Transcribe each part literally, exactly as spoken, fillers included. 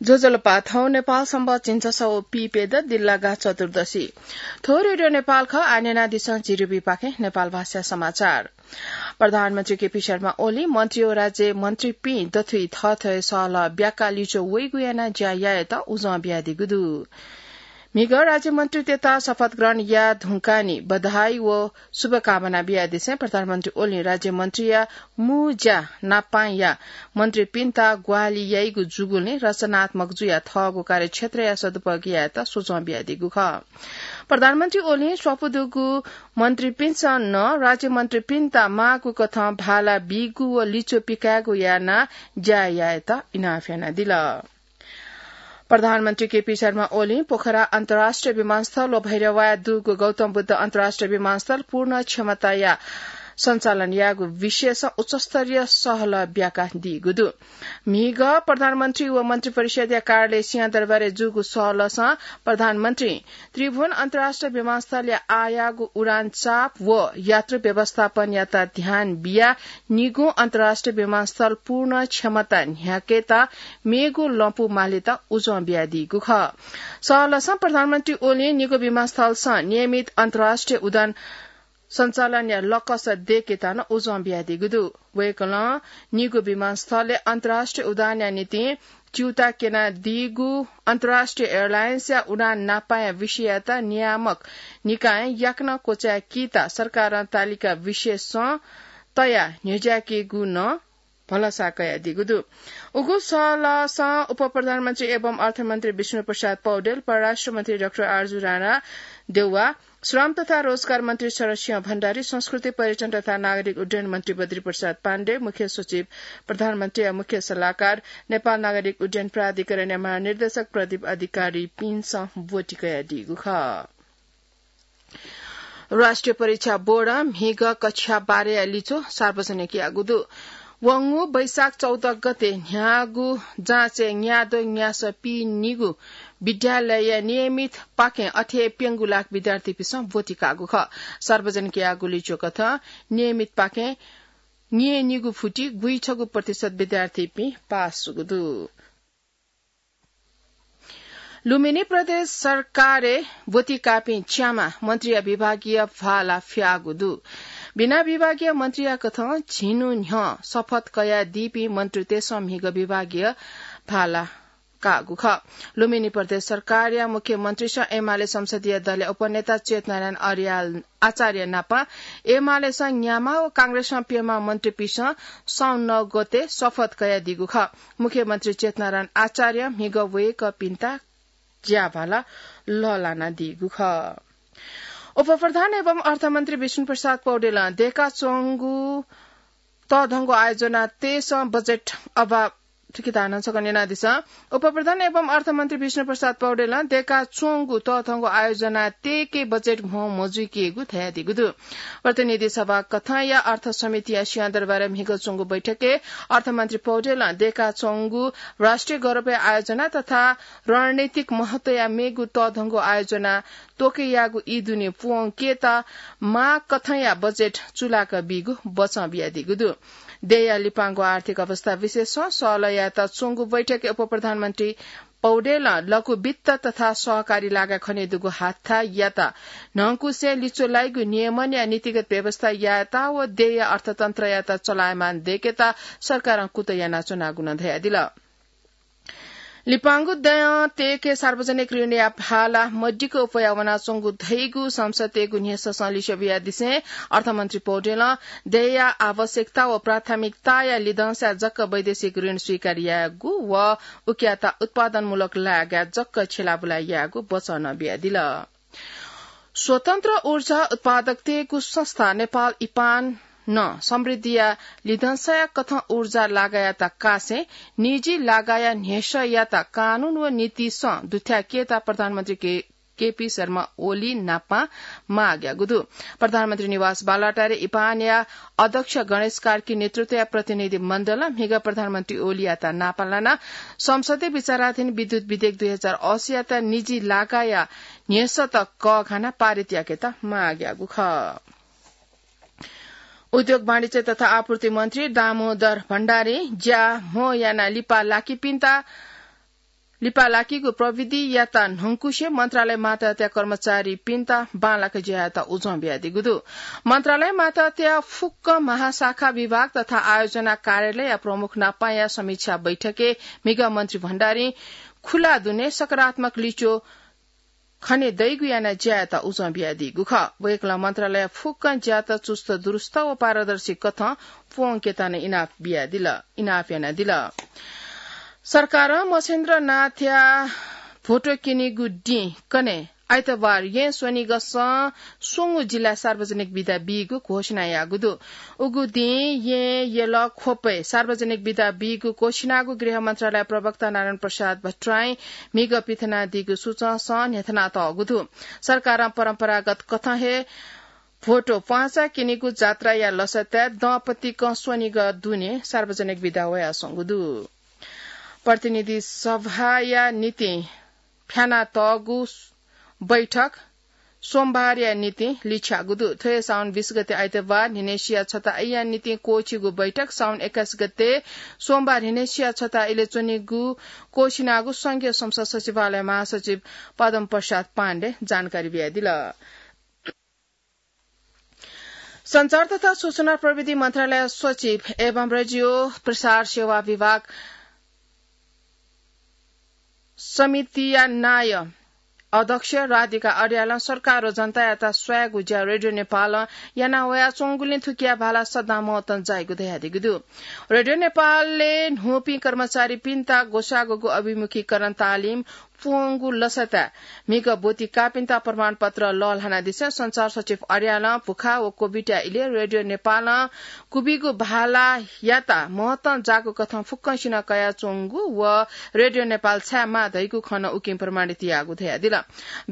ज्वजलपा, थौं नेपाल संवत् झिंछसः व पीप्यदँ दिल्लागा चतुर्दशी। थ्व रेडियो नेपाल खः, आः न्यनादिसँ झी रुबिपाखें नेपाल भाषा समाचार। प्रधानमन्त्री केपी शर्मा ओलीं मन्त्री व राज्य मन्त्रीपिं दथुइ थःथःया सहलह ब्याकाः लिच्वः वइगु यानाः ज्या यायेत उजं बियादीगु दु। म्हिगः राज्य मन्त्रीतय्त शपथ ग्रहण याये धुंकाः नि बधाई व शुभकामना बियादिसें प्रधानमन्त्री ओलीं राज्य मन्त्रीया मू ज्या नापांया मन्त्रीपिन्त ग्वाहालि याइगु जूगुलिं रचनात्मक जुयाः थःगु कार्यक्षेत्रया सदुपयोग यायेत सुझाव बियादीगु खः। प्रधानमन्त्री ओलीं स्वापू दुगु मन्त्रीपिन्सं नं राज्य मन्त्रीपिन्त माःगु कथं भाला बीगु व लिच्वः पिकायेगु यानाः ज्या यायेत इनाप यानादिल। प्रधानमन्त्री केपी शर्मा ओलीं पोखरा अन्तर्राष्ट्रिय विमानस्थल व भैरवाया दुगु गौतम बुद्ध अन्तर्राष्ट्रिय विमानस्थल पूर्ण क्षमताया सञ्चालन यायेगु विषयसं उच्चस्तरीय सहलह ब्याकादीगु दु। म्हिगः प्रधानमन्त्री व मन्त्रिपरिषदया कार्यालय सिंहदरबारय् जूगु सहलहसं प्रधानमन्त्रीं त्रिभुवन अन्तर्राष्ट्रिय विमानस्थलया आःयाःगु उडान चाप व यात्रु व्यवस्थापनयात ध्यान बियाः निगू अन्तर्राष्ट्रिय विमानस्थल पूर्ण क्षमता न्ह्याकेत मेगु लँपु मालेत उजं बियादीगु खः। सहलहसं प्रधानमन्त्री ओलीं निगू विमानस्थलसं नियमित अन्तर्राष्ट्रिय उडान सञ्चालनया लकस दय्केत नं उजं बियादीगु दु। वय्कलं निगू विमानस्थलय् अन्तर्राष्ट्रिय उडानया निंतिं च्यूता क्यनादीगु अन्तर्राष्ट्रिय एयरलाइन्सया उडान नापांया विषययात नियामक निकायं याकनं क्वचाय्कीत सरकारं तालिका विशेषं तयाः न्ह्यज्याकेगु नं भलसा कयादीगु दु। उगु सहलहसं उपप्रधानमन्त्री एवं अर्थमन्त्री विष्णुप्रसाद पौडेल, परराष्ट्रमन्त्री डाक्टर आरजु राणा देउवा, श्रम तथा रोजगार मन्त्री शरद सिंह भण्डारी, संस्कृति, पर्यटन तथा नागरिक उड्डयन मन्त्री बद्री प्रसाद पाण्डे, मुख्य सचिव, प्रधानमन्त्रीया मुख्य सल्लाहकार, नेपाल नागरिक उड्डयन प्राधिकरणया महानिर्देशक प्रदीप अधिकारीपिन्सं ब्वति कयादीगु खः। राष्ट्रिय परीक्षा बोर्डं म्हिगः कक्षा बाह्रया लिच्वः सार्वजनिक याःगु दु। वंगु वैशाख चौध गते न्ह्याःगु जाँचय् न्याद्वः न्यासः पीनिगू विद्यालयया नियमित पाखें अथे हे प्यंगू लाख विद्यार्थीपिन्सं ब्वति काःगु खः। सार्वजनिक याःगु लिच्वः कथं नियमित पाखें न्यय्निगू फुति गुइछगू प्रतिशत विद्यार्थीपिं पास जूगु दु। लुम्बिनी प्रदेश सरकारय् ब्वति काःपिं च्याम्ह मन्त्रीया विभागीय भाला फ्याःगु दु। बिना विभागीय मन्त्रीया कथं झिन्हु न्ह्यः शपथ कयादीपिं मन्त्रीतय्सं म्हिगः विभागीय भाला काःगु खः। लुम्बिनी प्रदेश सरकारया मुख्यमन्त्रीसं एमाले संसदीय दलया उपनेता चेतनारायण अर्याल आचार्य नाप एमालेसं न्याम्ह व कांग्रेसं प्यम्ह मन्त्रीपिन्सं साउन नौ गते शपथ कयादीगु खः। मुख्यमन्त्री चेतनारायण आचार्यं म्हिगः वय्कःपिन्त ज्याभाला लःल्हानादीगु खः। उपप्रधान एवं अर्थमन्त्री विष्णुप्रसाद पौडेलं दय्काच्वंगु तःधंगु आयोजनातय्सं बजेट अभाव, थुकिता नं छकः न्यनादिसँ। उपप्रधान एवं अर्थमन्त्री विष्णुप्रसाद पौडेलं दय्काच्वंगु तःधंगु आयोजनातय्के बजेट म्हो मजुइकेगु धयादीगु दु। प्रतिनिधि सभा कथंया अर्थ समितिया सिंहदरबारय् म्हिगः च्वंगु बैठकय् अर्थमन्त्री पौडेलं दय्काच्वंगु राष्ट्रिय गौरवया आयोजना तथा रणनीतिक महत्वया मेगु तःधंगु आयोजना त्वःके याःगु ई दुने प्वंकेत माः कथंया बजेट चुलाका बीगु बचं बियादीगु दु। देय्या लिपांगु आर्थिक अवस्था विषयसं सहलह यायेत च्वंगु बैठकय् उपप्रधानमन्त्री पौडेलं लघु वित्त तथा सहकारी लागाय् खनेदुगु हाथायात न्हंकुसें लिच्वः लाइगु नियमनया नीतिगत व्यवस्था यायेत व देय्या अर्थतन्त्रयात चलायमान दय्केत सरकारं कुतः यानाच्वनागु नं धयादिल। लिपांगु दँय् तय्के सार्वजनिक ऋणया भाला मदिक्क अप्वया वनाच्वंगु धइगु संसदय्गु न्ह्यससं लिच्वः बियादिसें अर्थमन्त्री पौडेलं देय्या आवश्यकता व प्राथमिकताया लिधंसाय् जक वैदेशिक ऋण स्वीकार यायेगु व उकियात उत्पादनमूलक लागाय् जक छ्यलाबुला यायेगु बचं नं बियादिल। स्वतन्त्र ऊर्जा उत्पादकतय्गु संस्था नेपाल इपान नं समृद्धिया लिधंसाया कथं ऊर्जा लागायात कासें निजी लागाया न्ह्यसःयात कानून व नीतिसं दुथ्याकेत प्रधानमन्त्री के, केपी शर्मा ओली नापं माग याःगु दु। प्रधानमन्त्री निवास बालुवाटारय् इपानया अध्यक्ष गणेश कार्की नेतृत्वया प्रतिनिधि मण्डलं म्हिगः प्रधानमन्त्री ओलीयात नापं लानाः संसदय् विचाराधीन विद्युत विधेयक दुई हजार अस्सीयात निजी लागाया न्ह्यसःत कःघानाः पारित याकेत माग याःगु खः। उद्योग, वाणिज्य तथा आपूर्ति मन्त्री दामोदर भण्डारीं ज्या म्हो यानाः लिपा लाकीपिन्त लिपा लाकीगु प्रविधियात न्हंकुसे मन्त्रालय मातहतया कर्मचारीपिन्त बांलाक ज्यायात उजं बियादीगु दु। मन्त्रालय मातहतया फुक्क महाशाखा विभाग तथा आयोजना कार्यालयया प्रमुख नापाया समीक्षा बैठकय् म्हिगः मन्त्री भण्डारीं खुला दुने सकारात्मक लिच्वः खने दइगु याना ज्यायात उजं बियादीगु खः। वय्कलं मन्त्रालय फुक्कं ज्यात चुस्त दुरुस्त व पारदर्शी कथं प्वंकेत नं इनाप बियादिल, इनाप यानादिल। सरकारं मछेन्द्रनाथया भोटो क्यनीगु दिं कन्हय् आइतबार येँ स्वनिगसं स्वंगू जिल्लाय् सार्वजनिक बिदा बीगु घोषणा याःगु दु। उगु दिं येँ यल ख्वपय् सार्वजनिक बिदा बीगु घोषणागु गृह मन्त्रालय प्रवक्ता नारायण प्रसाद भट्टराईं म्हिगः पिथनादीगु सूचंसं न्ह्यथनातःगु दु। सरकारं परम्परागत कथं हे भोटो प्वाँचा क्यनीगु जात्राया लसताय् दँपतिकं स्वनिगः दुने सार्वजनिक बिदा वयाच्वंगु दु। प्रतिनिधि सभाया निंतिं फ्यानातःगु बैठक सोमबारया निंतिं लिछ्याःगु दु। थ्व हे साउन बीस गते आइतबार न्हिनय्सिया छता अय्‌या निंतिं क्वःछिगु बैठक साउन एक्काइस गते सोमबार न्हिनय्सिया छता अय्‌ले च्वनीगु क्वःछिनागु संघीय संसद सचिवालय महासचिव पद्म प्रसाद पाण्डे जानकारी बियादिल। सञ्चार तथा सूचना प्रविधि मन्त्रालय सचिव एवं रेडियो प्रसार सेवा विभाग समितिया नायः अध्यक्ष राधिका अर्यालं सरकार व जनतायात स्वयेगु ज्या रेडियो नेपालं याना वयाच्वंगुलिं थुकिया भाला सदां महत्वं जाइगु धयादीगु दु। रेडियो नेपालय् न्हूपिं कर्मचारीपिन्त ग्वसाग्वःगु अभिमुखीकरण तालिम प्वंगु लसताय् म्हिगः ब्वति काःपिन्त प्रमाणपत्र लःल्हानादिसें सञ्चार सचिव अर्यालं भुखाः व कोभिडया इलय् रेडियो नेपालं क्वबिगु भालायात महत्वं जाःगु कथं फुक्कसिनं कयाच्वंगु व रेडियो नेपाल छायेमाः धइगु खँ नं उकिं प्रमाणित याःगु धयादिल।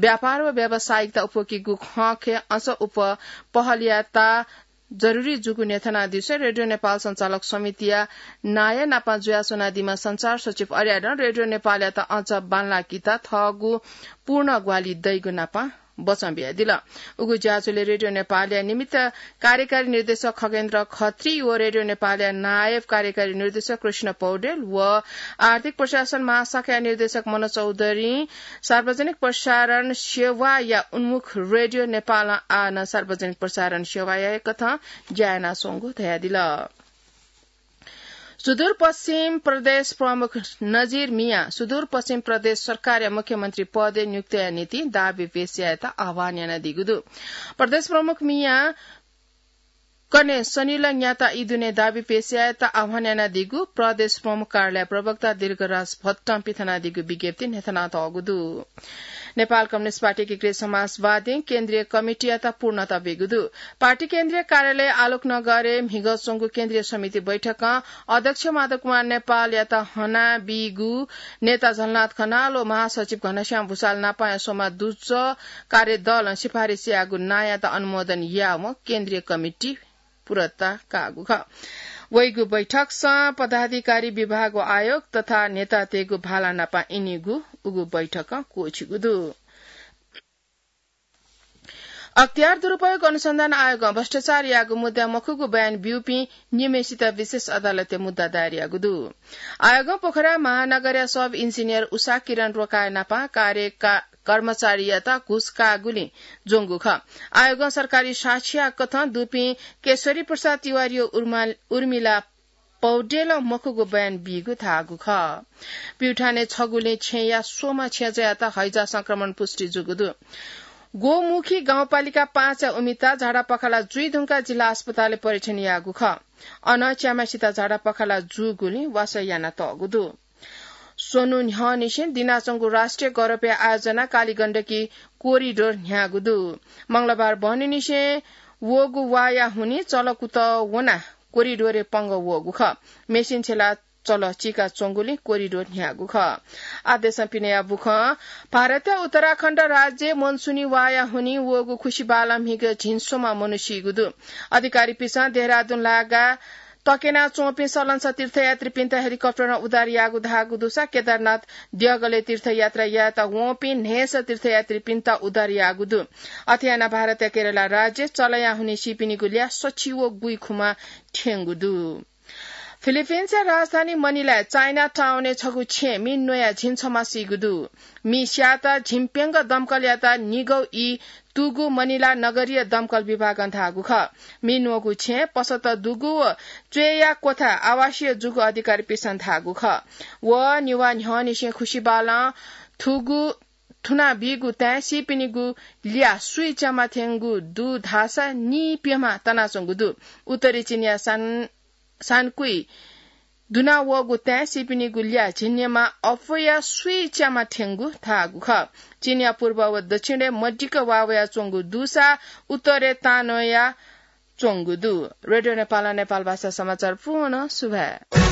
व्यापार व व्यावसायिकता उप्वकीगु खँखे अझ उप पहलयात जरुरी जूगु न्ह्यथनादिसें रेडियो नेपाल सञ्चालक समितिया नायः नाप जुयाच्वनादीम्ह सञ्चार सचिव अर्यालं रेडियो नेपालयात अझ बांलाकेत थःगु पूर्ण ग्वाहालि दइगु नाप बचं बियादिल। उगु ज्याझ्वलय् रेडियो नेपालया निमित्त कार्यकारी निर्देशक खगेन्द्र खत्री व रेडियो नेपालया नायब कार्यकारी निर्देशक कृष्ण पौडेल व आर्थिक प्रशासन महाशाखाया निर्देशक मन चौधरीं सार्वजनिक प्रसारण सेवाया उन्मुख रेडियो नेपालं आः नं सार्वजनिक प्रसारण सेवाया कथं ज्या यानाच्वंगु धयादिल। सुदूरपश्चिम प्रदेश प्रमुख नजिर मियां सुदूरपश्चिम प्रदेश सरकारया मुख्यमन्त्री पदय् नियुक्तिया निंतिं दाबी पेश यायेत आह्वान यानादीगु दु। प्रदेश प्रमुख मियां कन्हय् सनिलंयात ई दुने दाबी पेश यायेत आह्वान यानादीगु प्रदेश प्रमुख कार्यालय प्रवक्ता दीर्घराज भट्टं पिथनादीगु विज्ञप्तिइ न्ह्यथनातःगु दु। नेपाल कम्युनिस्ट पार्टी एकीकृत समाजवादीं केन्द्रीय कमिटीयात पूर्णता बीगु दु। पार्टी केन्द्रीय कार्यालय आलोकनगरय् म्हिगः च्वंगु केन्द्रीय समिति बैठकं अध्यक्ष माधव कुमार नेपालयात हनाबीगु नेता झलनाथ खनाल व महासचिव घनश्याम भुसाल नापंया स्वम्ह दुजः कार्यदलं सिफारिस याःगु नांयात अनुमोदन यावं केन्द्रीय कमिटी पूर्णता काःगु खः। वइगु बैठकसं पदाधिकारी, विभाग व आयोग तथा नेतातय्‌गु भाला नाप इनिगु उगु बैठकं क्वःछिगु दु। अख्तियार दुरुपयोग अनुसन्धान आयोगं भ्रष्टाचार याःगु मुद्दा मखुगु बयान ब्यूपिं निम्हय्‌सित विशेष अदालतय् मुद्दा दायर याःगु दु। आयोगं पोखरा महानगरया सब इन्जिनियर उषा किरण रोकाया नाप कार्यका कर्मचारीयात घुस काःगुलिं ज्वंगु खः। आयोगं सरकारी साक्षीया कथं दुपिं केशरी प्रसाद तिवारी व उर्मा-, उर्मिला पौडेलं मखुगु बयान बीगु धाःगु खः। प्युठानय् छगुलिं छेँया स्वम्ह छेँजःयात हैजा संक्रमण पुष्टि जूगु दु। गोमुखी गाउँपालिका पाँचया उमिता झाडापखाला जुइ धुंकाः जिल्ला अस्पतालय् परीक्षण याःगु खः। अन च्याम्हय्‌सित झाडापखाला जूगुलिं वासः यानातःगु दु। स्वन्हु न्ह्यःनिसें दिनाच्वंगु राष्ट्रिय गौरवया आयोजना कालीगण्डकी कोरिडोर न्ह्याःगु दु। मंगलबार बहनीनिसें वःगु वाःया हुनिं चलकुतः वनाः कोरिडोरय् पंगः वःगु खः। मेसिन छ्यलाः चलः चिकाच्वंगुलिं कोरिडोर न्ह्याःगु खः। आः देशं पिनेया बुखँ। भारतया उत्तराखण्ड राज्यय् मनसुनी वाःया हुनिं वःगु खुसिबालं म्हिगः झिंस्वम्ह मनू सीगु दु। अधिकारीपिन्सं देहरादुन लागाः तक्यनाच्वंपिं सलंसः तीर्थयात्रीपिन्त हेलिकप्टरं उद्धार याःगु धाःगु दुसा केदारनाथ देगलय् तीर्थयात्रा यायेत वंपिं न्हय्‌सः तीर्थयात्रीपिन्त उद्धार याःगु दु। अथे यानाः भारतया केरला राज्यय् चलःया हुनिं सीपिनिगु ल्याः सछि व गुइखुम्ह थ्यंगु दु। फिलिपिन्सया राजधानी मनिलाय् चाइना टाउनय् छगू छेँय् मि न्वयाः झिंछम्ह सीगु दु। मि स्याःत झिंप्यंगः दमकलयात निगः ई तूगु मनिला नगरीय दमकल विभागं धाःगु खः। मि न्वःगु छेँय् पसत दुगु व च्वय्या क्वथा आवासीय जूगु अधिकारीपिन्सं धाःगु खः। व निवा न्ह्यःनिसें खुसिबालं थुगु थुनाबीगु ताय् सीपिनिगु ल्याः सुइ च्यामा थेंगु दु धाःसा नीप्यम्ह तनाच्वंगु दु। उत्तरी चीनया सान सानकुइ दुना वःगु ताय् सीपिनिगु ल्याः झिंन्यमा अप्वया सुइ च्यामा थेंगु धाःगु खः। चीनया पूर्व व दक्षिणय् मदिक्क वा वयाच्वंगु दुसा उत्तरय् तांनया च्वंगु दु। रेडियो नेपालं नेपाल भाषा समाचार पूवं सुभाय्।